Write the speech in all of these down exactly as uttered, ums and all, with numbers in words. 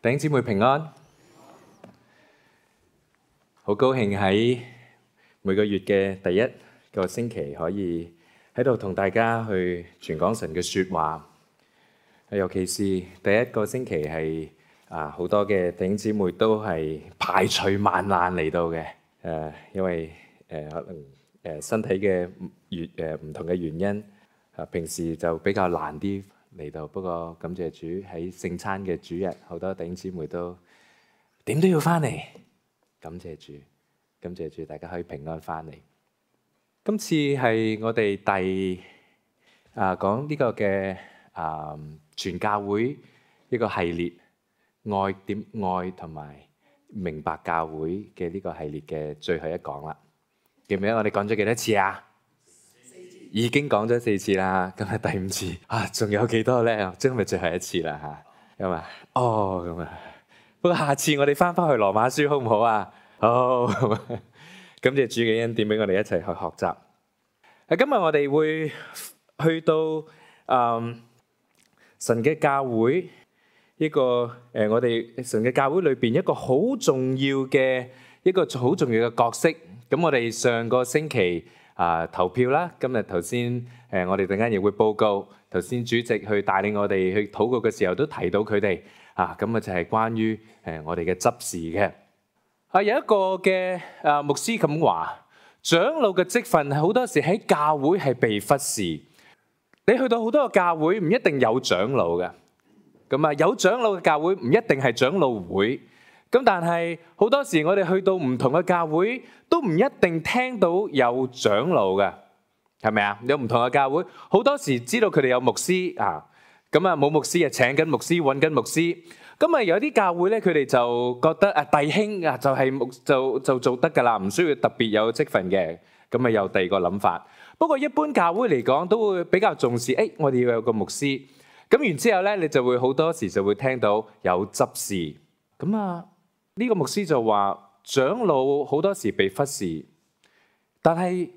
弟兄姊妹平安，好高興喺每個月嘅第一個星期可以喺度同大家去傳講神嘅説話。尤其是第一個星期係啊，好多嘅弟兄姊妹都係排除萬難嚟到嘅。誒，因為誒可能誒身體嘅原誒唔同嘅原因，啊平時就比較難啲嚟到，不過感謝主喺聖餐嘅主日，好多弟兄姊妹都點都要翻嚟，感謝主，感謝主，大家可以平安翻嚟。今次係我哋第啊講呢個嘅啊全教會一個系列，愛點愛同埋明白教會嘅呢個系列嘅最後一講啦。記唔記得我哋講咗幾多次啊？已經講咗四次啦，今日第五次啊，仲有幾多咧？即係咪最後一次啦嚇？咁啊，哦咁啊，不過下次我哋翻返去羅馬書好唔好啊？好，咁啊，感謝主嘅恩典俾我哋一齊去學習。啊，今日我哋會去到誒神嘅教會一個誒，我哋神嘅教會裏邊一個好重要嘅一個好重要嘅角色。咁我哋上個星期啊投票啦，今日頭先誒我哋陣間亦會報告。頭先主席去帶領我哋去禱告嘅時候，都提到佢哋啊，咁啊就係關於誒我哋嘅執事嘅。啊有一個嘅啊牧師咁話，長老嘅職分係好多時喺教會係被忽視。你去到好多個教會唔一定有長老嘅，咁啊有長老嘅教會唔一定係長老會。咁但係好多時我哋去到唔同嘅教會，都唔一定聽到有長老嘅，係咪啊？有唔同嘅教會，好多時知道佢哋有牧師啊，咁啊冇牧師啊請緊牧師，揾緊牧師。咁啊有啲教會咧，佢哋就覺得啊弟兄啊就係牧就就做得㗎啦，唔需要特別有職份嘅。咁啊有第二個諗法。不過一般教會嚟講，都會比較重視，誒我哋要有個牧師。咁然之後咧，你就會好多時就會聽到有執事。咁啊呢個牧師就話，長老好多時被忽視，但係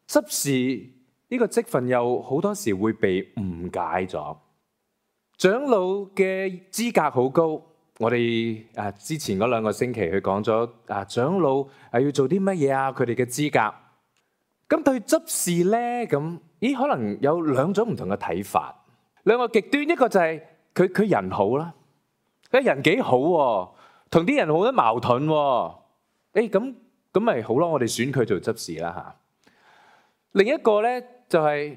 執事呢個職份又好多時會被誤解咗。長老嘅資格好高，我哋啊之前嗰兩個星期去講咗啊長老係要做啲乜嘢啊，佢哋嘅資格。咁對執事咧，咁咦可能有兩種唔同嘅睇法，兩個極端，一個就係佢佢人好啦，佢人幾好喎，同啲人好多矛盾喎。誒咁咁咪好咯，我哋選佢做執事啦嚇。另一個咧就係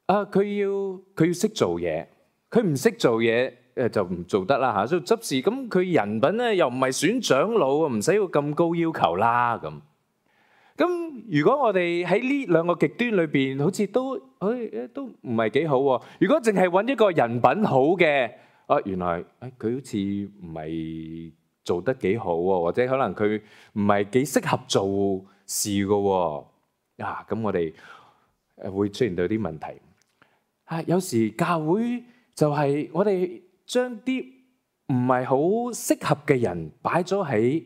啊，佢要佢要識做嘢，佢唔識做嘢誒就唔做得啦嚇。所以執事咁佢人品咧又唔係選長老，唔使要咁高要求啦咁。咁如果我哋喺呢兩個極端裏邊，好似都誒都唔係幾好喎。如果淨係揾一個人品好嘅，啊原來誒佢好似唔係做得幾好喎，或者可能佢唔係幾適合做事嘅喎。啊咁我哋誒會出現到啲問題。啊有時教會就係我哋將啲唔係好適合嘅人擺咗喺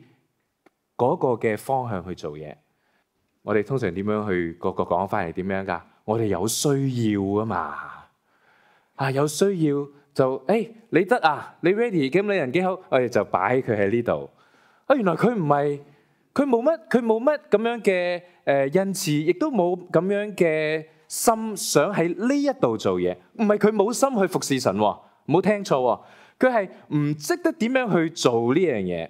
嗰個嘅方向去做嘢。我哋通常點樣去個個講翻嚟點樣㗎？我哋有需要啊嘛，啊有需要就誒你得啊，你 ready 咁你人幾好，我哋就擺佢喺呢度。啊原來佢唔係，佢冇乜，佢冇乜咁樣嘅誒恩賜，亦都冇咁樣嘅心想喺呢一度做嘢。唔係佢冇心去服侍神喎，唔好聽錯喎，佢係唔識得點樣去做呢樣嘢。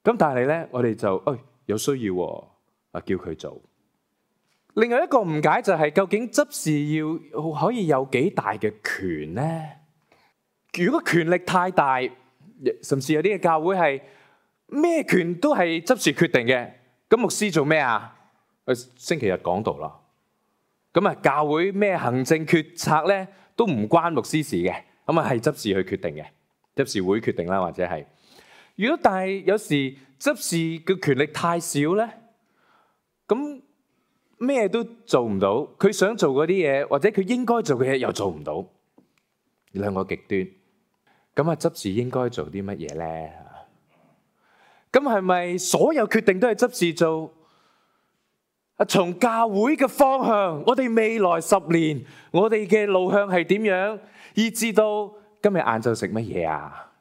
咁但係咧，我哋就誒有需要喎。啊！叫佢做。另外一個誤解就係，究竟執事要可以有幾大嘅權呢？如果權力太大，甚至有啲嘅教會係咩權都係執事決定嘅，咁牧師做咩啊？星期日講道啦。咁啊，教會咩行政決策咧都唔關牧師事嘅，咁啊係執事去決定嘅，執事會決定啦，或者係。如果但係有時執事嘅權力太少咧？咁咩都做唔到，佢想做嗰啲嘢，或者佢應該做嘅嘢又做唔到，兩個極端。咁啊，執事應該做啲乜嘢咧？咁係咪所有決定都係執事做？啊，從教會嘅方向，我哋未來十年，我哋嘅路向係點樣？以至到今日晏晝食乜嘢啊？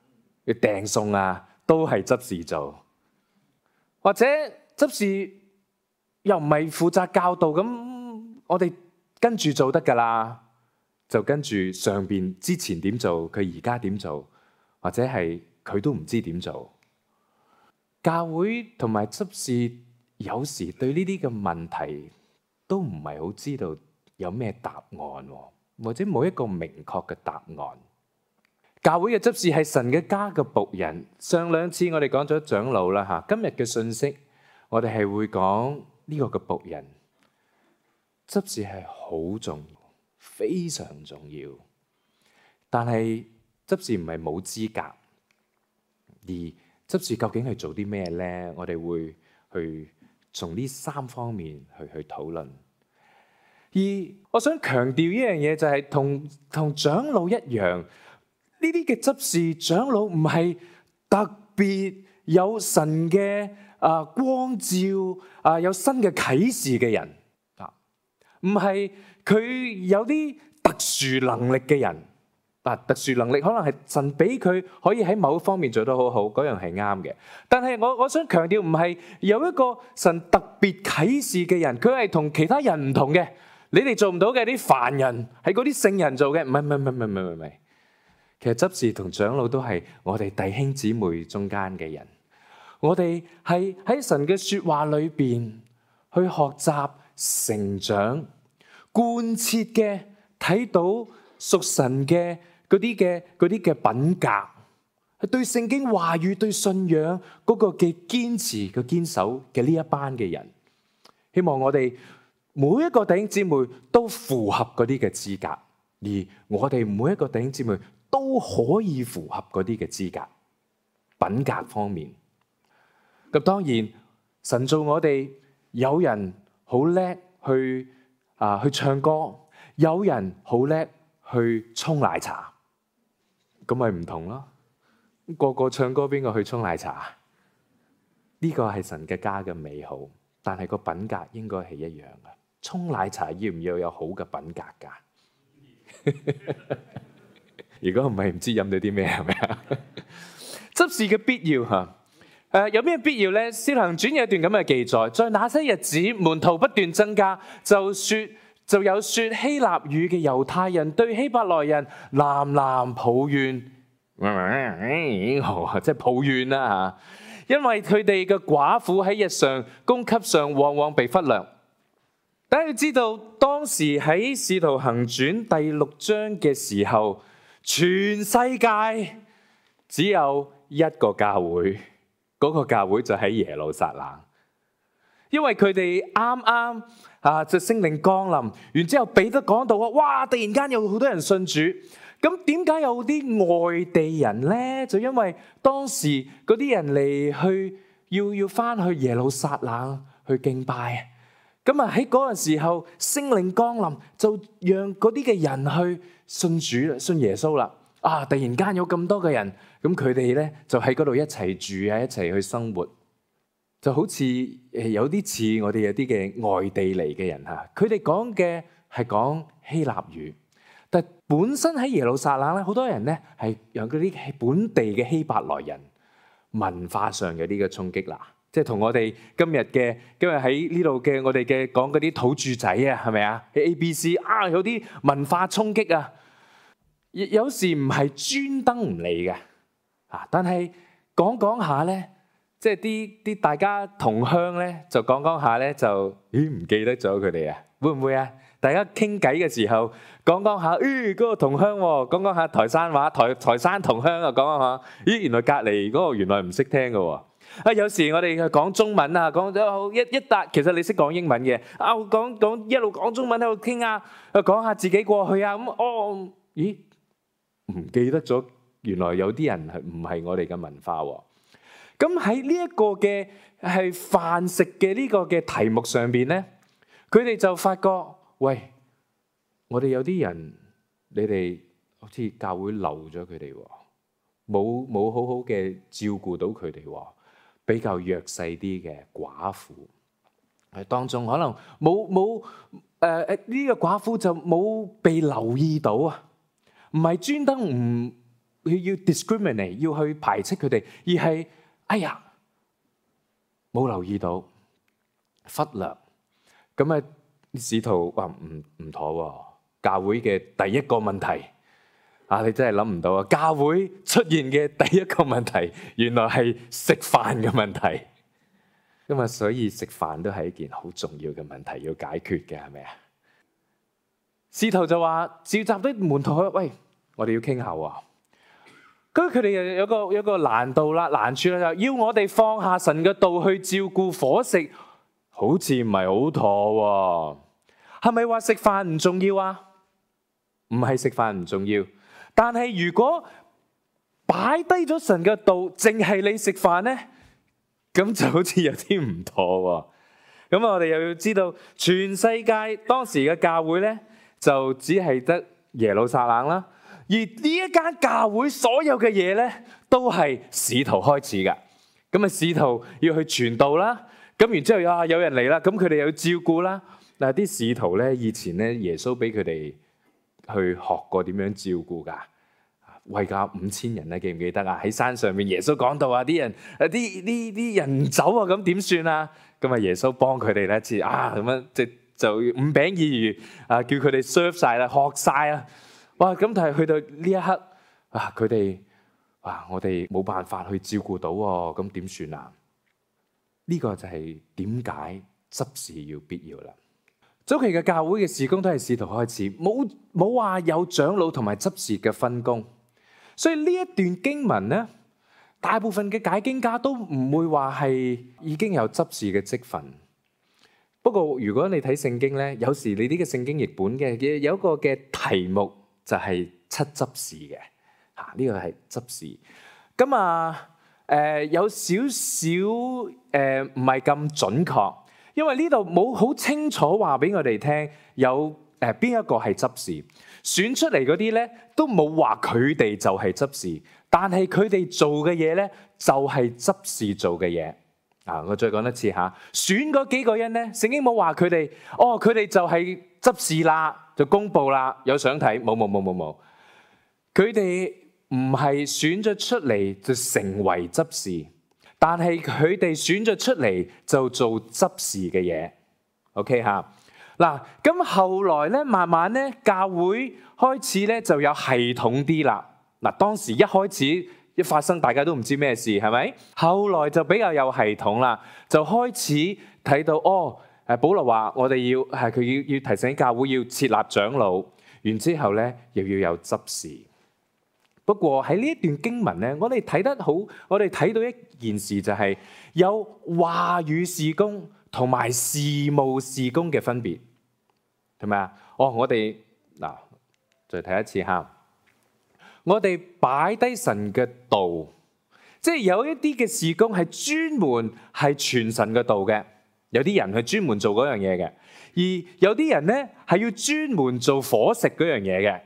訂餸啊，都係執事做，或者執事又唔係負責教導，咁我哋跟住做得㗎啦，就跟住上邊之前點做，佢而家點做，或者係佢都唔知點做。教會同埋執事有時對呢啲嘅問題都唔係好知道有咩答案，或者冇一個明確嘅答案。教會嘅執事係神嘅家嘅僕人。上兩次我哋講咗長老啦嚇，今日嘅信息我哋係會講呢個嘅僕人。執事係好重要，非常重要。但係執事唔係冇資格，而執事究竟係做啲咩呢？我哋會去從呢三方面去去討論。而我想強調一樣嘢就係同同長老一樣，呢啲嘅執事長老唔係特別有神嘅啊光照啊，有新嘅啟示嘅人啊，唔係佢有啲特殊能力嘅人。啊，特殊能力可能係神俾佢可以喺某方面做得好好，嗰樣係啱嘅。但係我我想強調，唔係有一個神特別啟示嘅人，佢係同其他人唔同嘅。你哋做唔到嘅啲凡人，係嗰啲聖人做嘅，唔係唔係唔係唔係唔係唔係。其實執事同長老都係我哋弟兄姊妹中間嘅人，我哋係喺神嘅說話裏邊去學習、成長、貫徹嘅睇到屬神嘅嗰啲嘅嗰啲嘅品格，係對聖經話語、對信仰嗰個嘅堅持、嘅堅守嘅呢一班嘅人，希望我哋每一個弟兄姊妹都符合嗰啲嘅資格，而我哋每一個弟兄姊妹都可以符合嗰啲嘅資格，品格方面。咁當然，神造我哋，有人好叻去啊去唱歌，有人好叻去沖奶茶。咁咪唔同咯，個個唱歌，邊個去沖奶茶？呢個係神嘅家嘅美好，但係個品格應該係一樣嘅。沖奶茶要唔要有好嘅品格㗎？如果唔係，唔知飲到啲咩係咪啊？執事嘅必要嚇，誒有咩必要咧？使徒行傳有一段咁嘅記載，在那些日子，門徒不斷增加，就説。就有說希臘語嘅猶太人對希伯來人喃喃抱怨，即係抱怨啦嚇，因為佢哋嘅寡婦喺日常供給上往往被忽略。大家要知道，當時喺《使徒行傳》第六章嘅時候，全世界只有一個教會，嗰個教會就喺耶路撒冷。因為佢哋啱啱啊，就聖靈降臨，然之後彼得講到啊，哇！突然間有好多人信主，咁點解有啲外地人咧？就因為當時嗰啲人嚟去要要翻去耶路撒冷去敬拜，咁啊喺嗰個時候聖靈降臨，就讓嗰啲嘅人去信主啦，信耶穌啦。啊！突然間有咁多嘅人，咁佢哋咧就喺嗰度一齊住啊，一齊去生活。就好似誒有啲似我哋有啲嘅外地嚟嘅人嚇，佢哋講嘅係講希臘語，但本身喺耶路撒冷咧，好多人咧係有嗰啲本地嘅希伯來人，文化上有啲嘅衝擊啦，即係同我哋今日嘅今日喺呢度嘅我哋嘅講嗰啲土著仔啊，係咪啊？喺 A B C 啊，有啲文化衝擊啊，有時唔係專登唔嚟嘅啊，但係講講下咧。即係啲啲大家同鄉咧，就講講下咧，就咦唔記得咗佢哋啊？會唔會啊？大家傾偈嘅時候講講下，咦嗰個同鄉喎，講講下台山話，台台山同鄉啊，講講下，咦原來隔離嗰個原來唔識聽嘅喎。啊有時我哋講中文啊，講咗一一笪，其實你識講英文嘅，啊講講一路講中文喺度傾啊，講下自己過去啊，咁哦咦唔記得咗，原來有啲人係唔係我哋嘅文化喎。咁喺呢一個嘅係飯食嘅呢個嘅題目上邊咧，佢哋就發覺，喂，我哋有啲人，你哋好似教會漏咗佢哋喎，冇冇好好嘅照顧到佢哋喎，比較弱勢啲嘅寡婦，喺當中可能冇冇誒誒呢個寡婦就冇被留意到啊，唔係專登唔要 discriminate， 要去排斥佢哋，而係哎呀冇留意到，忽略。咁啊，使徒話唔唔妥喎。教會嘅第一個問題啊，你真係諗唔到啊！教會出現嘅第一個問題，原來係食飯嘅問題。咁啊，所以食飯都係一件好重要嘅問題要解決嘅，係咪啊？使徒就話召集啲門徒去，喂，我哋要傾下喎。咁佢哋又有個有個難度啦，難處啦，就要我哋放下神嘅道去照顧伙食，好似唔係好妥喎。係咪話食飯唔重要啊？唔係食飯唔重要，但係如果擺低咗神嘅道，淨係你食飯呢，咁就好似有啲唔妥喎。咁我哋又要知道，全世界當時嘅教會呢，就只係得耶路撒冷啦。而呢一間教會所有嘅嘢呢，都係使徒開始㗎。咁啊，使徒要去傳道啦。咁然之後啊，有人嚟啦，咁佢哋又要照顧啦。嗱，啲使徒呢，以前呢，耶穌俾佢哋去學過點樣照顧㗎，餵夠五千人咧，記唔記得啊？喺山上面，耶穌講到啊，啲人啊，啲啲啲人唔走啊，咁點算啊？咁啊，耶穌幫佢哋咧，似啊咁樣，即就五餅二魚啊，叫佢哋 serve 晒啦，學晒啊！哇！咁但係去到呢一刻啊，佢哋哇，我哋冇辦法去照顧到喎，咁點算啊？呢個就係點解執事要必要啦。早期嘅教會嘅事工都係使徒開始，冇冇話有長老同埋執事嘅分工，所以呢一段經文呢，大部分嘅解經家都唔會話係已經有執事嘅職份。不過如果你睇聖經呢，有時你呢個聖經譯本嘅有一個嘅題目就係七執事嘅，嚇呢個係執事。咁啊誒有少少誒唔係咁準確。因為呢度冇好清楚話俾我哋聽有誒邊一個係執事，選出嚟嗰啲咧都冇話佢哋就係執事，但係佢哋做嘅嘢咧就係執事做嘅嘢。啊，我再講一次嚇，選嗰幾個人咧，聖經冇話佢哋，哦佢哋就係執事啦，就公佈啦，有相睇，冇冇冇冇冇，佢哋唔係選咗出嚟就成為執事。但係佢哋選咗出嚟就做執事嘅嘢 ，OK 嚇嗱。咁後來咧，慢慢咧，教會開始咧就有系統啲啦。嗱，當時一開始一發生，大家都唔知咩事，係咪？後來就比較有系統啦，就開始睇到哦。誒，保羅話我哋要係佢要要提醒教會要設立長老，然之後咧又要有執事。不過喺呢一段經文咧，我哋睇得好，我哋睇到一件事就係有話語事工同埋事務事工嘅分別，係咪啊？哦，我哋嗱再睇一次嚇，我哋擺低神嘅道，即係有一啲嘅事工係專門係傳神嘅道嘅，有啲人係專門做嗰樣嘢嘅，而有啲人咧係要專門做伙食嗰樣嘢嘅。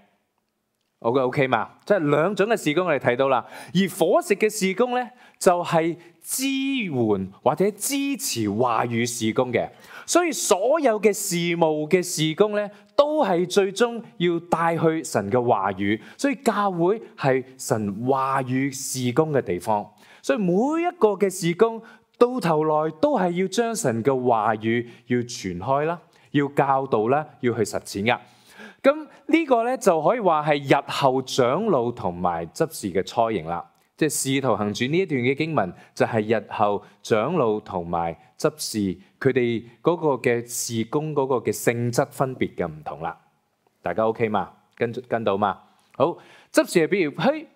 好嘅 OK 嘛，即係兩種嘅事工我哋睇到啦。而伙食嘅事工咧，就係支援或者支持話語事工嘅。所以所有嘅事務嘅事工咧，都係最終要帶去神嘅話語。所以教會係神話語事工嘅地方。所以每一個嘅事工到頭來都係要將神嘅話語要傳開啦，要教導啦，要去實踐噶。咁呢個咧就可以話係日後長老同埋執事嘅雛形啦，即係《使徒行傳》呢一段嘅經文就係日後長老同埋執事佢哋嗰個嘅事工嗰個嘅性質分別嘅唔同啦。大家 OK 嘛？跟跟到嘛？好，執事係比如嘿，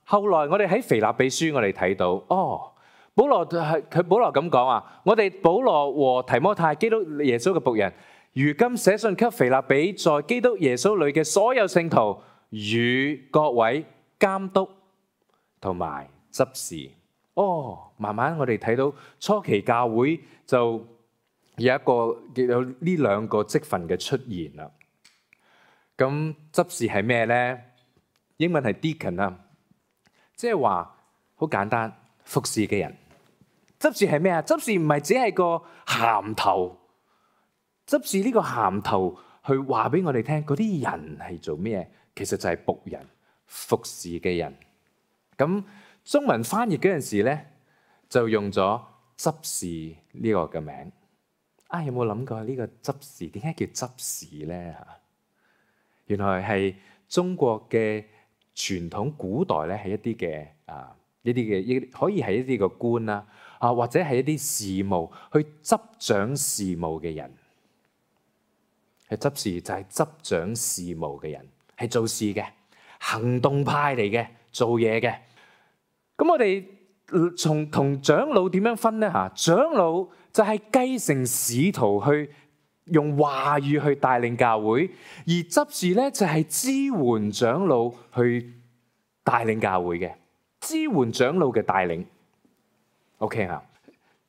後來我哋喺腓立比書我哋睇到哦，保羅係佢保羅咁講啊，我哋保羅和提摩太基督耶穌嘅僕人。如今寫信給腓立比在基督耶穌裏嘅所有聖徒與各位監督同埋執事。哦，慢慢我哋睇到初期教會就有一個有呢兩個職份嘅出現啦。咁執事係咩呢？英文係 deacon 啊，即係話好簡單，服侍嘅人。執事係咩啊？執事唔係只係個銜頭。執事呢個銜頭去話俾我哋聽，嗰啲人係做咩？其實就係僕人，服侍嘅人。咁中文翻譯嗰陣時咧，就用咗執事呢個嘅名。啊，有冇諗過呢個執事點解叫執事咧？嚇，原來係中國嘅傳統古代咧，係一啲嘅啊，一啲嘅一可以係一啲嘅官啦，啊或者係一啲事務去執掌事務嘅人。係執事就係執掌事務嘅人，係做事嘅行動派嚟嘅，做嘢嘅。咁我哋從同長老點樣分呢？嚇，長老就係繼承使徒去用話語去帶領教會，而執事咧就係支援長老去帶領教會嘅，支援長老嘅帶領。OK 啊，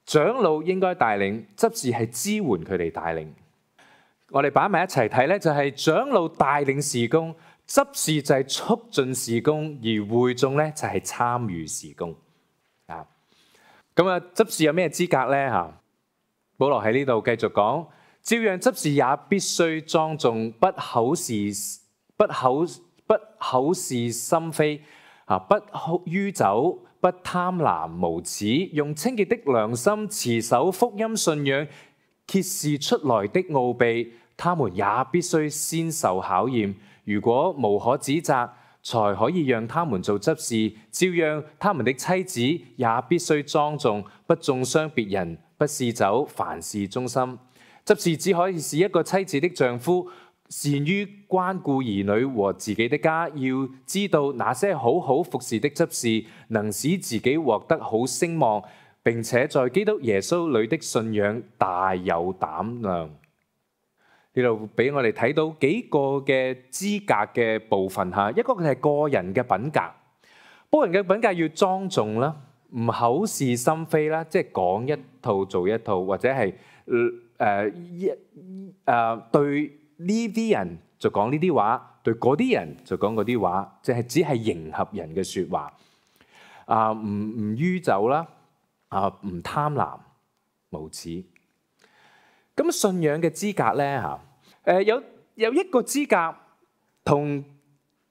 長老應該帶領，執事係支援佢哋帶領。我哋擺埋一齊睇咧，就係長老帶領事工，執事就係促進事工，而會眾咧就係參與事工。啊，咁啊，執事有咩資格咧？嚇，保羅喺呢度繼續講，照樣執事也必須莊重，不口是不口不口是心非，啊，不酗酒，不貪婪無恥，用清潔的良心持守福音信仰。揭示出來的奧秘，他們也必須先受考驗。如果無可指責，才可以讓他們做執事。照樣，他們的妻子也必須莊重，不中傷別人，不嗜酒，凡事忠心。執事只可以是一個妻子的丈夫，善於關顧兒女和自己的家。要知道那些好好服侍的執事，能使自己獲得好聲望。並且在基督耶穌裏的信仰大有膽量。呢度俾我哋睇到幾個嘅資格嘅部分嚇，一個係個人嘅品格，個人嘅品格要莊重啦，唔口是心非啦，即係講一套做一套，或者係誒一誒對呢啲人就講呢啲話，對嗰啲人就講嗰啲話，即係只係迎合人嘅説話。啊，唔唔酗酒啦。啊，唔貪婪無恥。咁信仰嘅資格咧嚇，誒有有一個資格同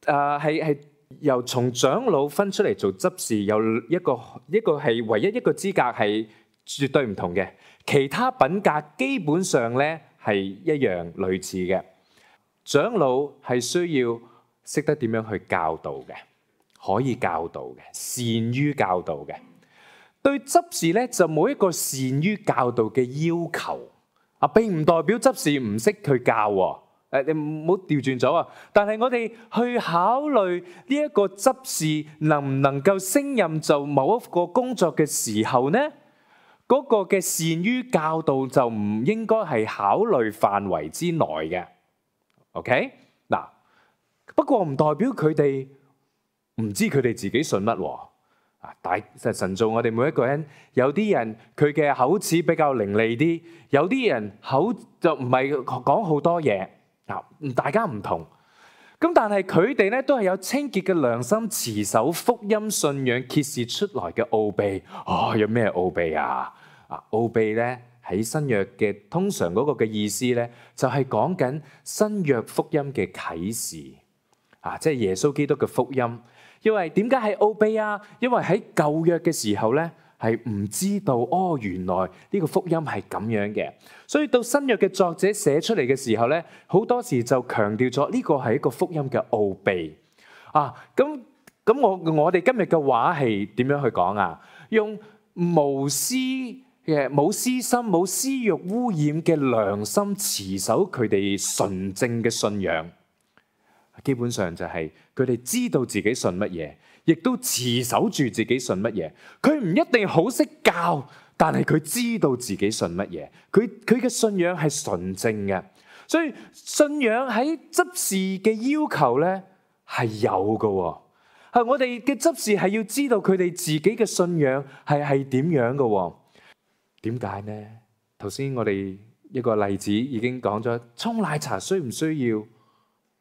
誒係係由從長老分出嚟做執事，有一個一個係唯一一個資格係絕對唔同嘅，其他品格基本上咧係一樣類似嘅。長老係需要識得點樣去教導嘅，可以教導嘅，善於教導嘅。對執事咧就冇一個善於教導嘅要求啊，並唔代表執事唔識去教喎。誒，你唔好調轉咗啊！但係我哋去考慮呢一個執事能唔能夠升任做某一個工作嘅時候呢，嗰個嘅善於教導就唔應該係考慮範圍之內嘅。OK 嗱，不過唔代表佢哋唔知佢哋自己信乜喎。大神造我哋每一個人，有啲人佢嘅口齒比較伶俐啲，有啲人口就唔係講好多嘢啊，大家唔同。咁但係佢哋咧都係有清潔嘅良心，持守福音信仰，揭示出來嘅奧秘。哦，有咩奧秘啊？啊，奧秘咧喺新約嘅通常嗰個嘅意思咧，就係講緊新約福音嘅啟示啊，即係耶穌基督嘅福音。因為點解係奧秘啊？因為喺舊約嘅時候咧，係唔知道哦，原來呢個福音係咁樣嘅。所以到新約嘅作者寫出嚟嘅時候咧，好多時就強調咗呢個係一個福音嘅奧秘啊。咁咁我我哋今日嘅話係點樣去講啊？用無私嘅、冇私心、冇私欲污染嘅良心，持守佢哋純正嘅信仰。基本上就係佢哋知道自己信乜嘢，亦都持守住自己信乜嘢。佢唔一定好識教，但係佢知道自己信乜嘢。佢佢嘅信仰係純正嘅，所以信仰喺執事嘅要求咧係有嘅。係我哋嘅執事係要知道佢哋自己嘅信仰係係點樣嘅。點解呢？頭先我哋一個例子已經講咗，沖奶茶需唔需要？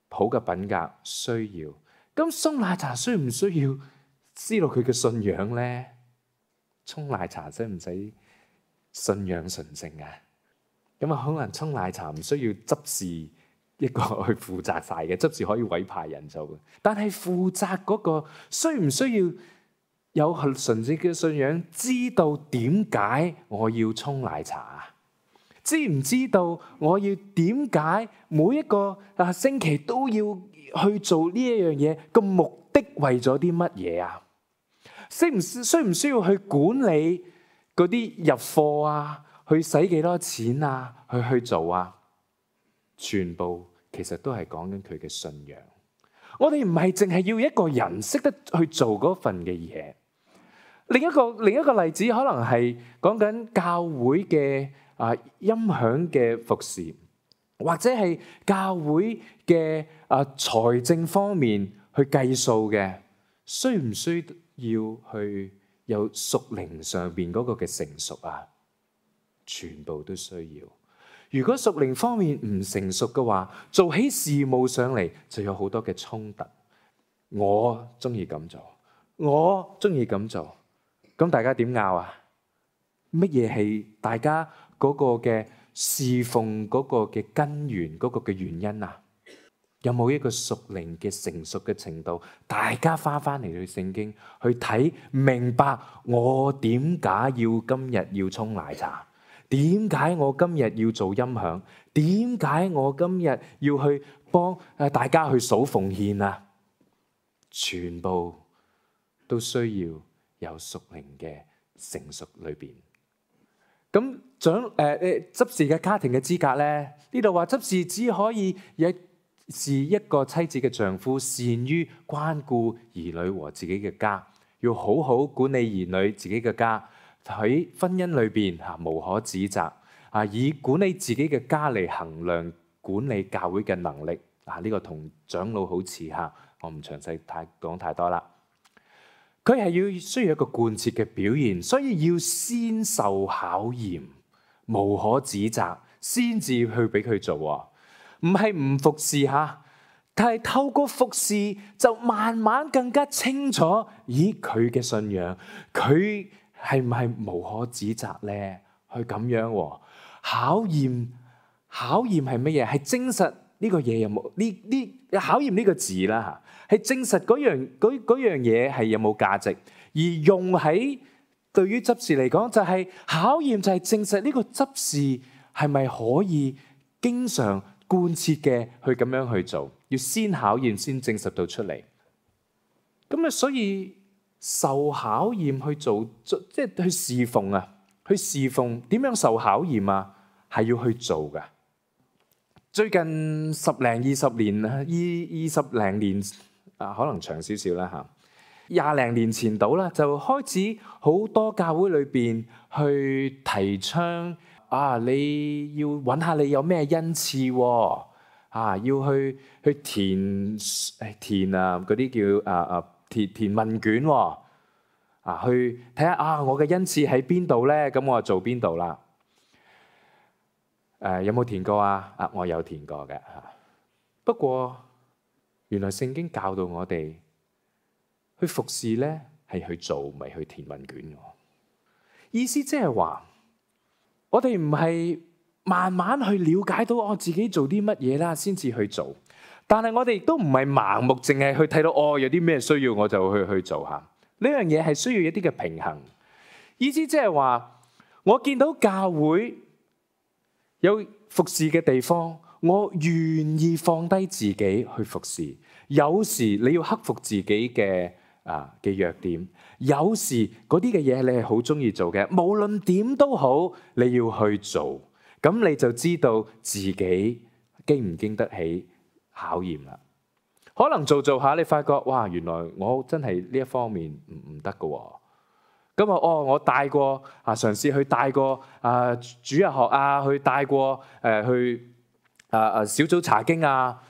好嘅品格需要，咁沖奶茶需唔需要知道佢嘅信仰咧？沖奶茶使唔使信仰純正啊？咁啊，可能沖奶茶唔需要執事一個去負責晒嘅，執事可以委派人做嘅。但係負責嗰個需唔需要有純正嘅信仰，知道點解我要沖奶茶啊？知唔知道我要點解每一個啊星期都要去做呢一樣嘢？個目的為咗啲乜嘢啊？需唔需唔需要去管理嗰啲入貨啊？去使幾多錢啊？去去做啊？全部其實都係講緊佢嘅信仰。我哋唔係淨係要一個人識得去做嗰份嘅嘢。另一個另一個例子可能係講緊教會嘅啊音響嘅服侍，或者係教會嘅啊財政方面去計數嘅，需唔需要去有屬靈上邊嗰個嘅成熟啊？全部都需要。如果屬靈方面唔成熟嘅話，做起事務上嚟就有好多嘅衝突。我中意咁做，我中意咁做，咁大家點拗啊？乜嘢係大家嗰個嘅侍奉嗰個嘅根源嗰個嘅原因啊？有冇一個屬靈嘅成熟嘅程度？大家翻翻嚟去聖經去睇，明白我點解要今日要沖奶茶？點解我今日要做音響？點解我今日要去幫誒大家去數奉獻啊？全部都需要有屬靈嘅成熟裏邊。咁長誒誒執事嘅家庭嘅資格咧，呢度話執事只可以有是一個妻子嘅丈夫，善於關顧兒女和自己嘅家，要好好管理兒女自己嘅家。喺婚姻裏邊嚇無可指責啊！以管理自己嘅家嚟衡量管理教會嘅能力啊！呢個同長老好似嚇，我唔詳細太講太多啦。佢係要需要一個貫徹嘅表現，所以要先受考驗，無可指責，先至去俾佢做啊！唔係唔服侍嚇，但係透過服侍就慢慢更加清楚，咦佢嘅信仰佢係唔係無可指責咧？去咁樣考驗，考驗係乜嘢？係證實呢個嘢有冇呢？呢考驗呢個字啦嚇，係證實嗰樣嗰嗰樣嘢係有冇價值，而用喺對於執事嚟講就係考驗，就係證實呢個執事係咪可以經常貫徹嘅去咁樣去做，要先考驗先證實到出嚟。咁啊，所以受考驗去做，即係去侍奉啊，去侍奉點樣受考驗啊？係要去做噶。最近十零二十年啊，二二十零年啊，可能長少少啦嚇。廿零年前到啦，就開始好多教會裏邊去提倡啊，你要揾下你有咩恩賜喎啊，要去去填誒填啊嗰啲叫啊啊填填問卷喎啊，去睇下啊我嘅恩賜喺邊度咧？咁我就做邊度啦？誒有冇填過啊？啊，我有填過嘅嚇。不過原來聖經教導我哋去服侍咧，係去做，唔係去填問卷嘅。意思即係話，我哋唔係慢慢去了解到我自己做啲乜嘢啦，先至去做。但係我哋亦都唔係盲目，淨係去睇到哦有啲咩需要我就去去做嚇。呢樣嘢係需要一啲嘅平衡。意思即係話，我見到教會有服侍嘅地方，我願意放低自己去服侍。有時你要克服自己嘅啊嘅弱點，有時嗰啲嘅嘢你係好中意做嘅，無論點都好，你要去做，咁你就知道自己經唔經得起考驗啦。可能做做下，你發覺哇，原來我真係呢一方面唔唔得㗎。咁啊，哦，我帶過啊，嘗試去帶過啊主日學啊，去帶過誒、呃、去啊啊小組查經啊，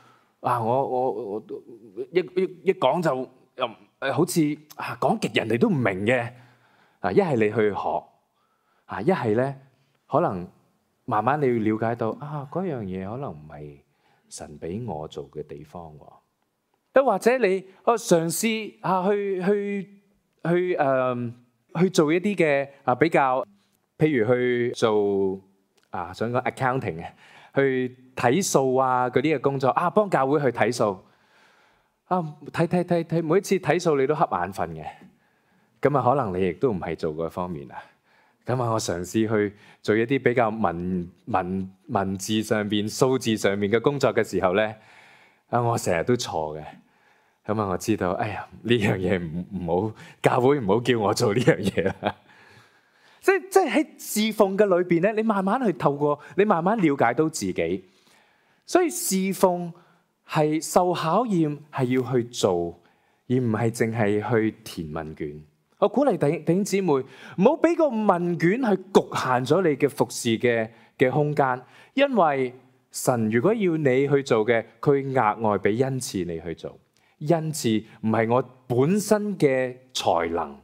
啊我我我一一一講就又誒好似啊講極人哋都唔明嘅啊，一係你去學啊，一係咧可能慢慢你要了解到啊嗰樣嘢可能唔係神俾我做嘅地方喎，又或者你哦嘗試啊去去去誒。呃去做一啲嘅啊比較，譬如去做啊想講 accounting 嘅去睇數啊嗰啲嘅工作啊，幫教會去睇數啊，睇睇睇睇，每一次睇數你都瞌眼瞓嘅，咁啊可能你亦都唔係做嗰方面啊。咁啊，我嘗試去做一啲比較文文文字上邊、數字上面嘅工作嘅時候咧，啊，我成日都錯嘅。咁啊，我知道，哎呀，呢樣嘢唔唔好，教會唔好叫我做呢樣嘢啦。即即喺侍奉嘅裏邊咧，你慢慢去透過，你慢慢了解到自己。所以侍奉係受考驗，係要去做，而唔係淨係去填問卷。我鼓勵弟弟兄姊妹，唔好俾個問卷去局限咗你嘅服侍嘅嘅空間，因為神如果要你去做嘅，佢額外俾恩賜你去做。恩賜唔係我本身嘅才能，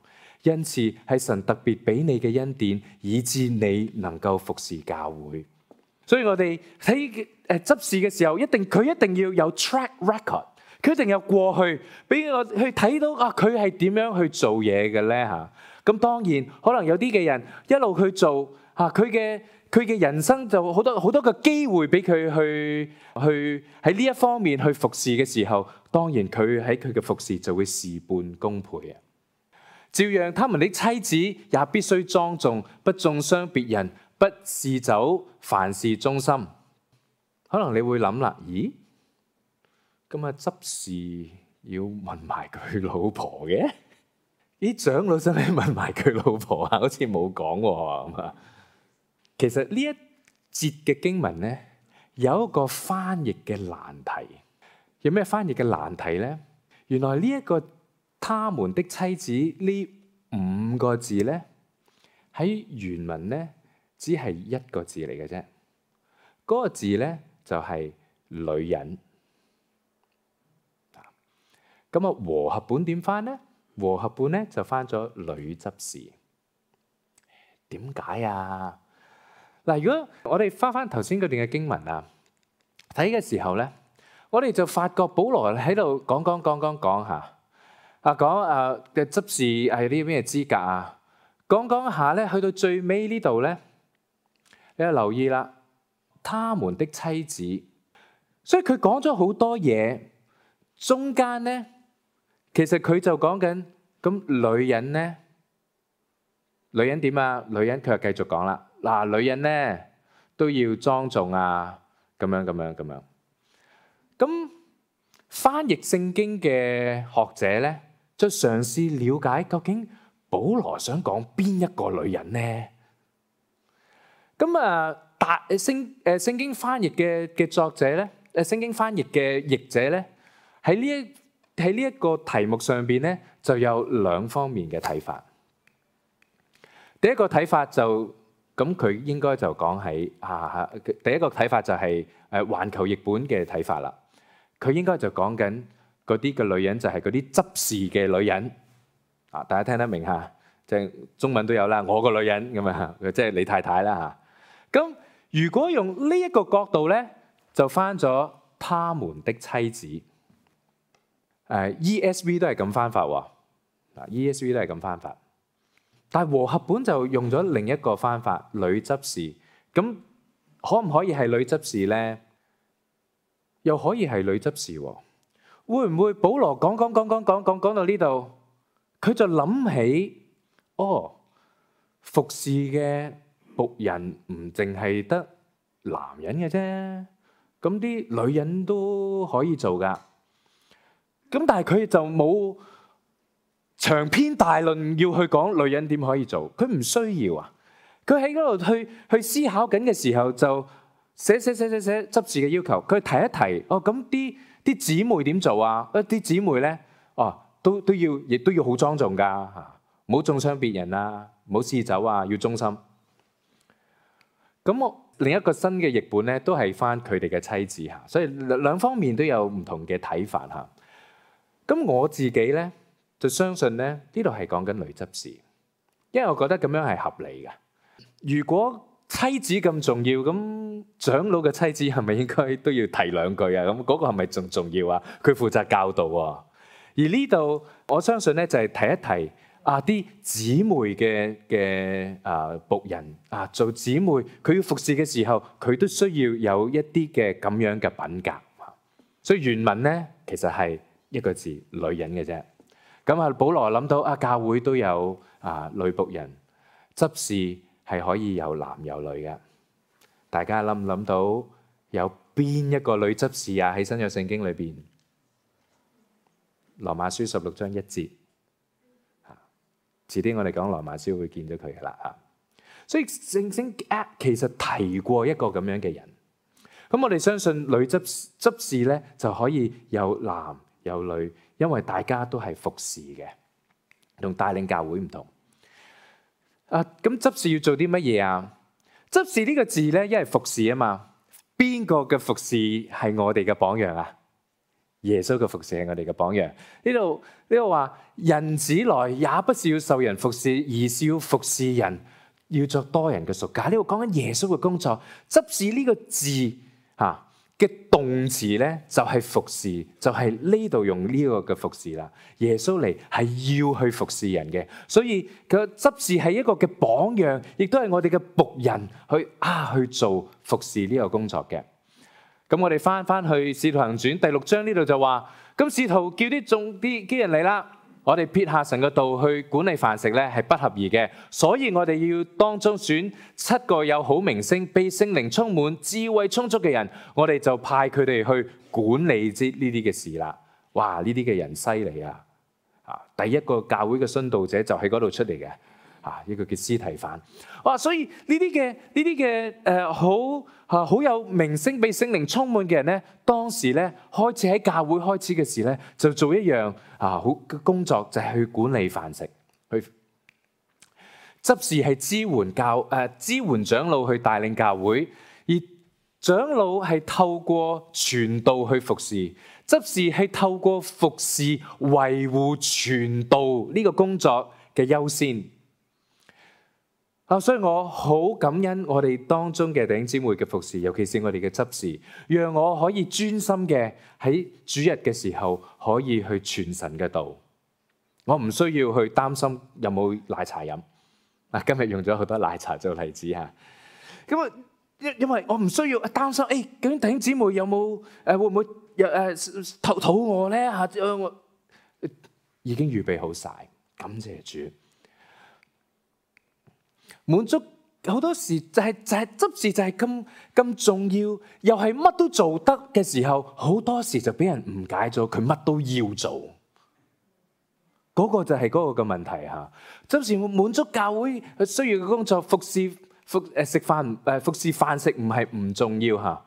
恩賜係神特別俾你嘅恩典，以致你能夠服侍教會。所以我哋喺誒執事嘅時候，一定佢一定要有 track record。佢一定有過去，俾我去睇到啊！佢係點樣去做嘢嘅咧嚇？咁當然可能有啲嘅人一路去做嚇，佢嘅佢嘅人生就好多好多個機會俾佢去去喺呢一方面去服侍嘅時候，當然佢喺佢嘅服侍就會事半功倍啊！照樣，他們的妻子也必須莊重，不中傷別人，不嗜酒，凡事忠心。可能你會諗啦，咦？咁啊，執事要問埋佢老婆嘅？啲長老使唔使問埋佢老婆啊？好似冇講喎。其實呢一節嘅經文咧，有一個翻譯嘅難題。有咩翻譯嘅難題咧？原來呢一個他們的妻子呢五個字咧，喺原文咧只係一個字嚟嘅啫。嗰個字咧就係女人。咁啊，和合本點翻咧？和合本咧就翻咗女執事。點解啊？嗱，如果我哋翻翻頭先嗰段嘅經文啊，睇嘅時候咧，我哋就發覺保羅喺度講講講講講下啊，講啊嘅執事係啲咩資格啊？講講下咧，去到最尾呢度咧，你就留意啦，他們的妻子，所以佢講咗好多嘢，中間咧。其實佢就講緊咁女人咧，女人點啊？女人佢又繼續講啦。嗱，女人咧都要莊重啊，咁樣咁樣咁樣。咁翻譯聖經嘅學者咧，就嘗試了解究竟保羅想講邊一個女人咧？咁啊，大聖誒聖經翻譯嘅嘅作者咧，誒聖經翻譯嘅譯者咧，喺呢一喺呢一個題目上邊咧，就有兩方面嘅睇法。第一個睇法就咁，佢應該就講喺啊，第一個睇法就係誒環球譯本嘅睇法啦。佢應該就講緊嗰啲嘅女人就係嗰啲執事嘅女人啊，大家聽得明嚇？即係中文都有啦，我個女人咁啊，即係你太太啦嚇。咁如果用呢一個角度咧，就翻咗他們的妻子。誒 E S V 都係咁翻法喎，嗱 E S V 都係咁翻法，但係和合本就用咗另一個翻法，女執事。咁可唔可以係女執事咧？又可以係女執事喎？會唔會保羅講講講講講講講到呢度，佢就諗起哦，服侍嘅僕人唔淨係得男人嘅啫，咁啲女人都可以做㗎。咁但係佢就冇長篇大論要去講女人點可以做，佢唔需要啊。佢喺嗰度去去思考緊嘅時候，就寫寫寫寫寫執事嘅要求，佢提一提哦。咁啲啲姊妹點做啊？一啲姊妹咧，哦都都要，亦都要好莊重㗎嚇，唔好中傷別人啊，唔好嗜酒啊，要忠心。咁我另一個新嘅譯本咧，都係翻佢哋嘅妻子嚇，所以兩方面都有唔同嘅睇法嚇。咁我自己咧就相信咧，呢度係講緊女執事，因為我覺得咁樣係合理嘅。如果妻子咁重要，咁長老嘅妻子係咪應該都要提兩句啊？咁嗰個係咪仲重要啊？佢負責教導喎。而呢度我相信咧就係提一提啊啲姊妹嘅嘅啊僕人啊，做姊妹佢要服侍嘅時候，佢都需要有一啲嘅咁樣嘅品格。所以原文咧其實係一個字女人嘅啫。咁啊，保羅諗到啊，教會都有啊女僕人，執事係可以有男有女嘅。大家諗唔諗到有邊一個女執事啊？喺新約聖經裏邊，羅馬書十六章一節。遲啲我哋講羅馬書會見到佢噶啦啊。所以聖經其實提過一個咁樣嘅人。咁我哋相信女執執事咧就可以有男有女，因為大家都係服侍嘅，同帶領教會唔同。啊，咁執事要做啲乜嘢啊？執事呢個字咧，因為服侍啊嘛。邊個嘅服侍係我哋嘅榜樣啊？耶穌嘅服侍係我哋嘅榜樣。呢度呢度話，人子來也不是要受人服侍，而是要服侍人，要作多人嘅贖價。呢度講緊耶穌嘅工作。執事呢個字吓嘅動詞咧，就係服侍，就係呢度用呢個嘅服侍啦。耶穌嚟係要去服侍人嘅，所以佢執事係一個嘅榜樣，亦都係我哋嘅僕人去啊去做服侍呢個工作嘅。咁我哋翻翻去《使徒行傳》第六章呢度就話，咁使徒叫啲眾啲啲人嚟啦，我哋撇下神嘅道去管理飯食咧，係不合宜嘅，所以我哋要當中選七個有好名聲、被聖靈充滿、智慧充足嘅人，我哋就派佢哋去管理之呢啲嘅事啦。哇！呢啲嘅人犀利啊！啊，第一個教會嘅殉道者就喺嗰度出嚟嘅。啊！呢個叫司提反。哇！所以呢啲嘅呢啲嘅誒好啊好有名聲、被聖靈充滿嘅人咧，當時咧開始喺教會開始嘅時咧，就做一樣啊好嘅工作，就係去管理飯食，去執事係支援教誒、呃、支援長老去帶領教會，而長老係透過傳道去服侍，執事係透過服侍維護傳道呢個工作嘅優先。啊！所以我好感恩我哋當中嘅弟兄姊妹嘅服侍，尤其是我哋嘅執事，讓我可以專心嘅喺主日嘅時候可以去傳神嘅道。我唔需要去擔心有冇奶茶飲。啊，今日用咗好多奶茶做例子嚇。咁啊，因因為我唔需要擔心，誒究竟弟兄姊妹有冇誒會唔會有誒肚肚餓咧嚇？我已經預備好晒，感謝主。滿足好多時就係就係執事就係咁咁重要，又係乜都做得嘅時候，好多時就俾人誤解咗佢乜都要做，嗰個就係嗰個嘅問題嚇。執事滿足教會需要嘅工作，服侍服誒食飯誒服侍飯食唔係唔重要嚇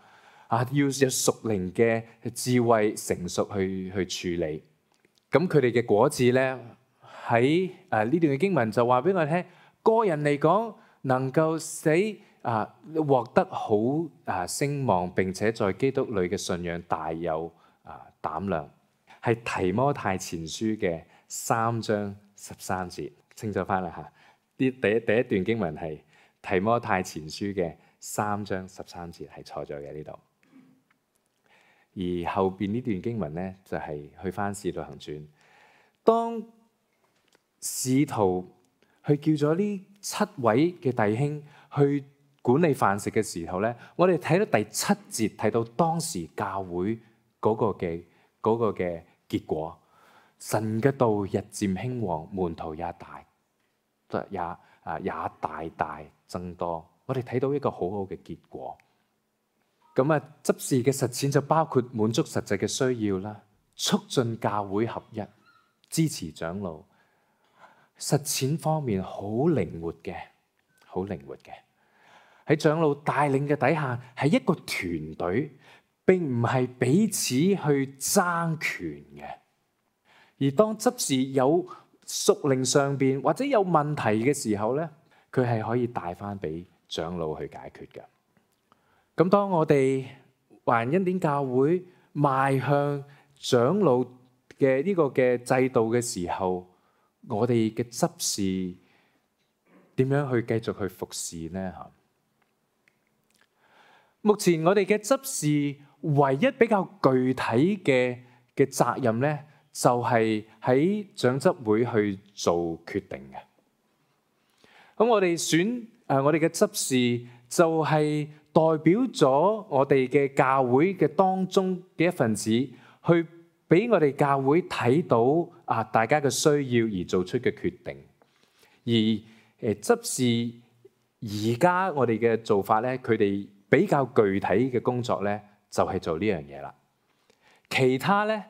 啊，要有屬靈嘅智慧成熟去去處理。咁佢哋嘅果子咧，喺誒呢段嘅經文就話俾我聽。個人嚟講，能夠使啊獲得好啊聲望，並且在基督裏嘅信仰大有啊膽量，係提摩太前書嘅三章十三節。清楚翻啦嚇，啲第一第一段經文係提摩太前書嘅三章十三節，係錯咗嘅呢度。而後邊呢段經文咧，就係、是、去翻使徒行傳，當使徒去叫咗呢七位嘅弟兄去管理飯食嘅時候咧，我哋睇到第七節，睇到當時教會嗰個嘅嗰個嘅結果，神嘅道日漸興旺，門徒也大，也啊也大大增多。我哋睇到一個好好嘅結果。咁啊，執事嘅實踐就包括滿足實際嘅需要啦，促進教會合一，支持長老。實踐方面好靈活嘅，好靈活嘅。喺長老帶領嘅底下，係一個團隊，並唔係彼此去爭權嘅。而當執事有屬靈上邊或者有問題嘅時候咧，佢係可以帶翻俾長老去解決嘅。咁當我哋華人恩典教會邁向長老嘅呢個嘅制度嘅時候，我哋嘅執事點樣去繼續去服侍呢？嚇，目前我哋嘅執事唯一比較具體嘅嘅責任咧，就係喺長執會去做決定嘅。咁我哋選誒我哋嘅執事就係代表咗我哋嘅教會嘅當中嘅一份子，去俾我哋教會睇到啊大家嘅需要而做出嘅決定。而誒執事而家我哋嘅做法咧，佢哋比較具體嘅工作咧，就係做呢樣嘢啦。其他咧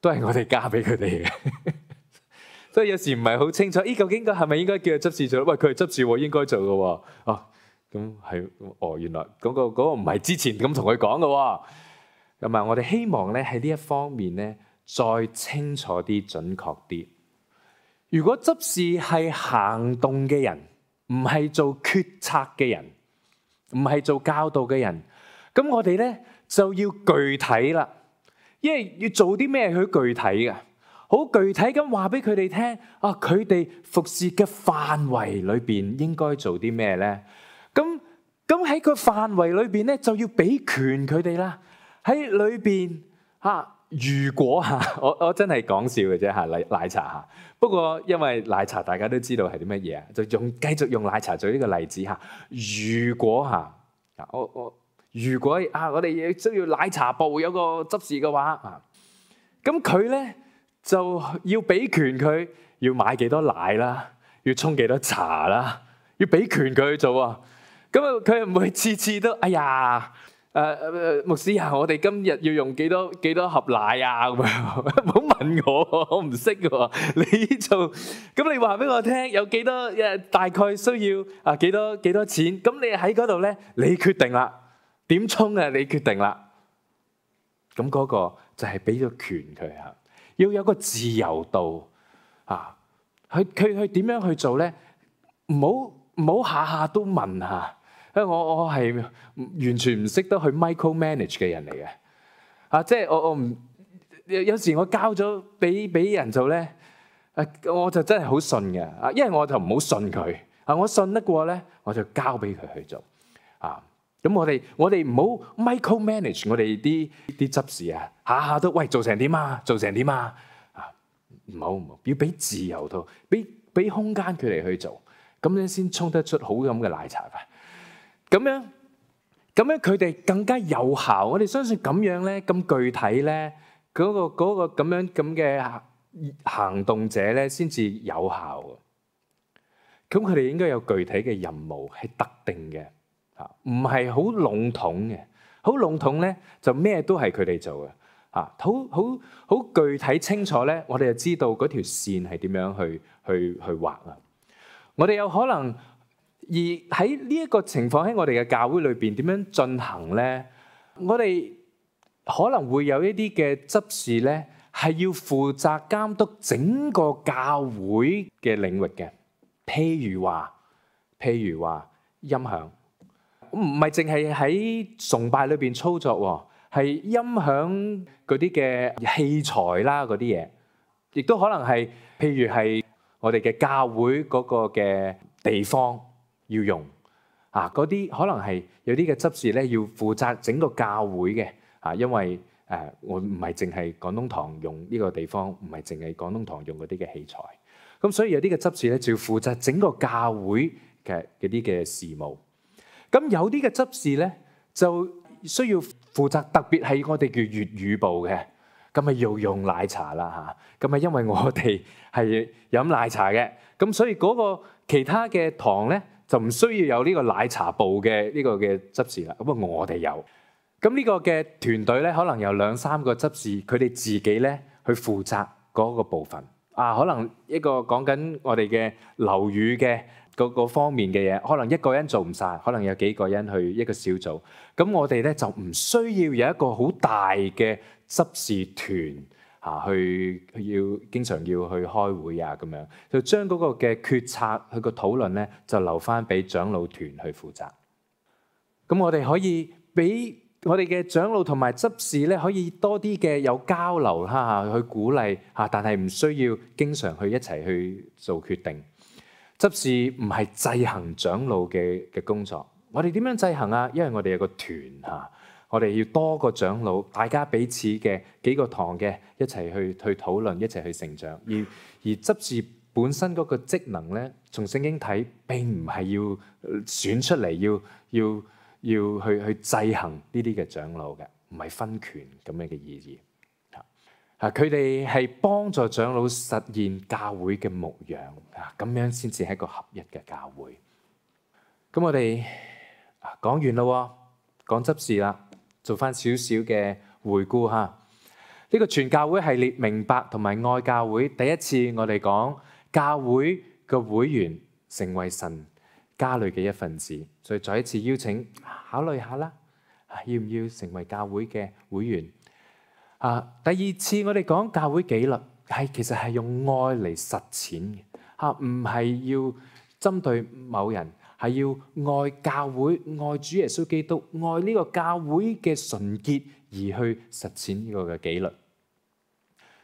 都係我哋交俾佢哋嘅。所以有時唔係好清楚，咦？究竟個係咪應該叫佢執事做？喂，佢係執事喎，應該做嘅喎。哦，咁係，哦，原來嗰個嗰個唔係之前咁同佢講嘅喎。咁啊，我哋希望咧喺呢一方面咧，再清楚啲、準確啲。如果執事係行動嘅人，唔係做決策嘅人，唔係做教導嘅人，咁我哋咧就要具體啦。因為要做啲咩，佢具體嘅。好具體咁話俾佢哋聽，啊，佢哋服侍嘅範圍裏邊應該做啲咩咧？咁咁喺個範圍裏邊咧，就要俾權佢哋啦。喺裏邊嚇，如果嚇，我我真係講笑嘅啫嚇，奶奶茶嚇。不過因為奶茶大家都知道係啲乜嘢啊，就用繼續用奶茶做呢個例子嚇。如果嚇，我我如果啊，我哋需要奶茶部有個執事嘅話啊，咁佢咧，就要俾權佢，要買幾多奶啦，要沖幾多茶啦，要俾權佢去做啊。咁啊，佢唔會次次都，哎呀，誒誒牧師啊，我哋今日要用幾多幾多盒奶啊咁樣，唔好問我，我唔識嘅。你做，咁你話俾我聽，有幾多誒大概需要啊幾多幾多錢？咁你喺嗰度咧，你決定啦，點沖啊？你決定啦。咁嗰個就係俾咗權佢嚇。要有個自由度啊！佢佢佢點樣去做咧？唔好唔好下下都問下，因為我我係完全唔識得去 micro manage 嘅人嚟嘅啊！即係我我唔有有時我交咗俾俾人做咧，誒我就真係好信嘅啊！因為我就唔好信佢啊！我信得過咧，我就交俾佢去做啊！咁我哋我哋唔好 micro manage 我哋啲啲執事啊，下下都喂做成點啊，做成點啊啊！唔好唔好，要俾自由度，俾俾空間佢哋去做，咁樣先沖得出好飲嘅奶茶啊！咁樣咁樣佢哋更加有效。我哋相信咁樣咧，咁具體咧，嗰個嗰個咁樣咁嘅行動者咧，先至有效。咁佢哋應該有具體嘅任務，係特定嘅。嚇，唔係好籠統嘅，好籠統咧就咩都係佢哋做嘅。嚇，好好好具體清楚咧，我哋就知道嗰條線係點樣去去去畫啊。我哋有可能而喺呢一個情況喺我哋嘅教會裏邊點樣進行咧？我哋可能會有一啲嘅執事咧，係要負責監督整個教會嘅領域嘅，譬如話，譬如話音響。唔係淨係喺崇拜裏邊操作，係音響嗰啲嘅器材啦，嗰啲嘢，亦都可能係，譬如係我哋嘅教會嗰個嘅地方要用啊，嗰啲可能係有啲嘅執事咧要負責整個教會嘅啊，因為誒我唔係淨係廣東堂用呢個地方，唔係淨係廣東堂用嗰啲嘅器材，咁所以有啲嘅執事咧就要負責整個教會嘅嗰啲嘅事務。咁有啲嘅執事咧，就需要負責，特別係我哋叫粵語部嘅，咁咪要用奶茶啦嚇。咁啊，因為我哋係飲奶茶嘅，咁所以嗰個其他嘅堂咧就唔需要有呢個奶茶部嘅呢個嘅執事啦。咁啊，我哋有。咁呢個嘅團隊咧，可能有兩三個執事，佢哋自己咧去負責嗰個部分。啊，可能一個講緊我哋嘅樓宇嘅。嗰個方面嘅嘢，可能一個人做唔晒，可能有幾個人去一個小組。咁我哋咧就唔需要有一個好大嘅執事團嚇，去要經常要去開會啊咁樣，就將嗰個嘅決策去個討論咧，就留翻俾長老團去負責。咁我哋可以俾我哋嘅長老同埋執事咧，可以多啲嘅有交流嚇，去鼓勵嚇，但係唔需要經常去一齊去做決定。執事唔係制衡長老嘅嘅工作，我哋點樣制衡啊？因為我哋有個團嚇我哋要多個長老，大家彼此嘅幾個堂嘅一齊去去討論，一齊去成長。而而執事本身嗰個職能咧，從聖經睇並唔係要選出嚟，要要要去去制衡呢啲嘅長老嘅，唔係分權咁樣嘅意義。啊，佢哋係幫助長老實現教會嘅牧養啊，咁樣先至係一個合一嘅教會。咁我哋講完啦，講執事啦。做翻少少嘅回顧嚇，呢個全教會系列明白同埋愛教會，第一次我哋講教會嘅會員成為神家裏嘅一份子，所以再一次邀請考慮下啦，要唔要成為教會嘅會員？啊，第二次我哋講教會紀律，係其實係用愛嚟實踐嘅嚇，唔係要針對某人。係要愛教會、愛主耶穌基督、愛呢個教會嘅純潔，而去實踐呢個嘅紀律。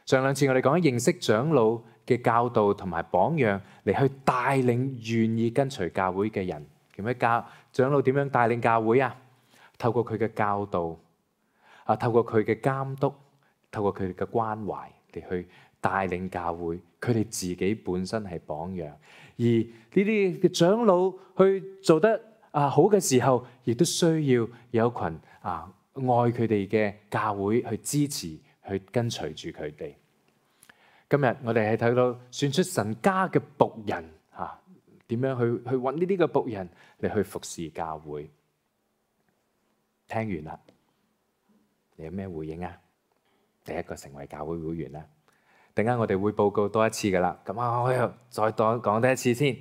上兩次我哋講認識長老嘅教導同埋榜樣，嚟去帶領願意跟隨教會嘅人。點樣教長老點樣帶領教會啊？透過佢嘅教導啊，透過佢嘅監督，透過佢哋嘅關懷嚟去帶領教會。佢哋自己本身係榜樣。而呢啲嘅長老去做得啊好嘅時候，亦都需要有一群啊愛佢哋嘅教會去支持、去跟隨住佢哋。今日我哋係睇到選出神家嘅僕人啊，點樣去去揾呢啲嘅僕人嚟去服侍教會。聽完啦，你有咩回應啊？第一個成為教會會員啦。陣間我哋會報告多一次噶啦，咁啊我又再講講多一次先。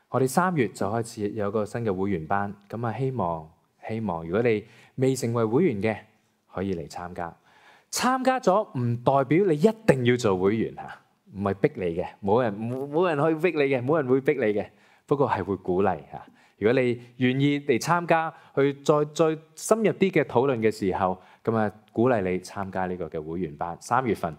我哋三月就開始有個新嘅會員班，咁啊希望希望如果你未成為會員嘅，可以嚟參加。參加咗唔代表你一定要做會員嚇，唔係逼你嘅，冇人冇冇人可以逼你嘅，冇人會逼你嘅。不過係會鼓勵嚇。如果你願意嚟參加，去再再深入啲嘅討論嘅時候，咁啊鼓勵你參加呢個嘅會員班。三月份。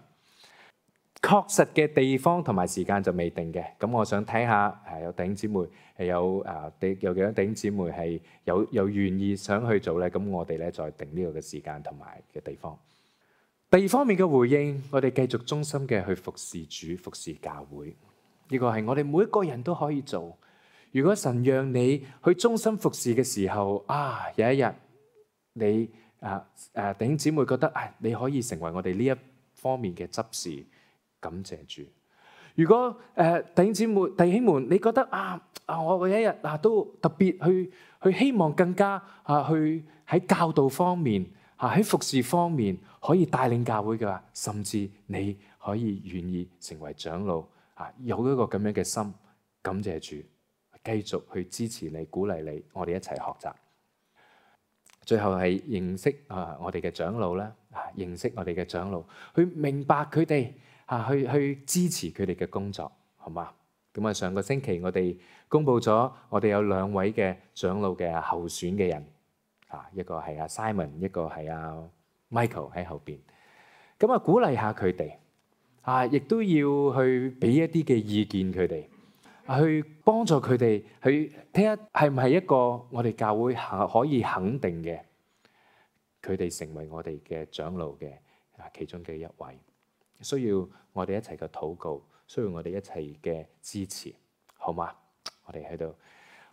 確實嘅地方同埋時間就未定嘅，咁我想睇下誒有弟兄姊妹係有誒啲有幾多弟兄姊妹係有有願意想去做咧，咁我哋咧再定呢個嘅時間同埋嘅地方。第二方面嘅回應，我哋繼續忠心嘅去服侍主、服侍教會，呢個係我哋每一個人都可以做。如果神讓你去忠心服侍嘅時候，啊有一日你誒誒弟兄姊妹覺得啊你可以成為我哋呢一方面嘅執事。感謝主。如果誒、呃、弟兄姊妹、弟兄們，你覺得啊啊，我有一日啊都特別去去希望更加啊去喺教導方面啊喺服侍方面可以帶領教會嘅話，甚至你可以願意成為長老啊，有一個咁樣嘅心，感謝主，繼續去支持你、鼓勵你，我哋一齊學習。最後係認識啊我哋嘅長老啦，啊認識我哋嘅長老，去明白佢哋。啊，去去支持佢哋嘅工作，好嘛？咁啊，上個星期我哋公布咗，我哋有兩位嘅長老嘅候選嘅人，啊，一個係阿 Simon，一個係阿 Michael 喺後邊。咁啊，鼓勵下佢哋，啊，亦都要去俾一啲嘅意見佢哋，去幫助佢哋去睇下係唔係一個我哋教會可以肯定嘅，佢哋成為我哋嘅長老嘅啊其中嘅一位。需要我哋一齊嘅禱告，需要我哋一齊嘅支持，好嗎？我哋喺度，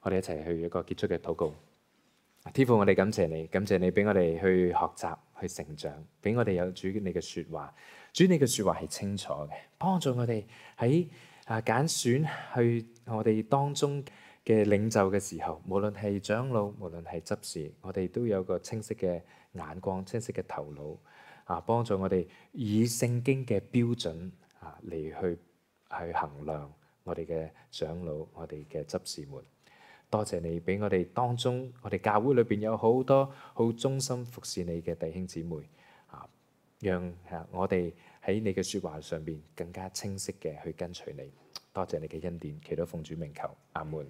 我哋一齊去一個結束嘅禱告。天父，我哋感謝你，感謝你俾我哋去學習、去成長，俾我哋有主你嘅説話。主你嘅説話係清楚嘅，幫助我哋喺啊揀選去我哋當中嘅領袖嘅時候，無論係長老，無論係執事，我哋都有個清晰嘅眼光、清晰嘅頭腦。啊！幫助我哋以聖經嘅標準啊嚟去去衡量我哋嘅長老、我哋嘅執事們。多謝你俾我哋當中，我哋教會裏邊有好多好忠心服侍你嘅弟兄姊妹啊，讓啊我哋喺你嘅説話上邊更加清晰嘅去跟隨你。多謝你嘅恩典，祈禱奉主名求，阿門。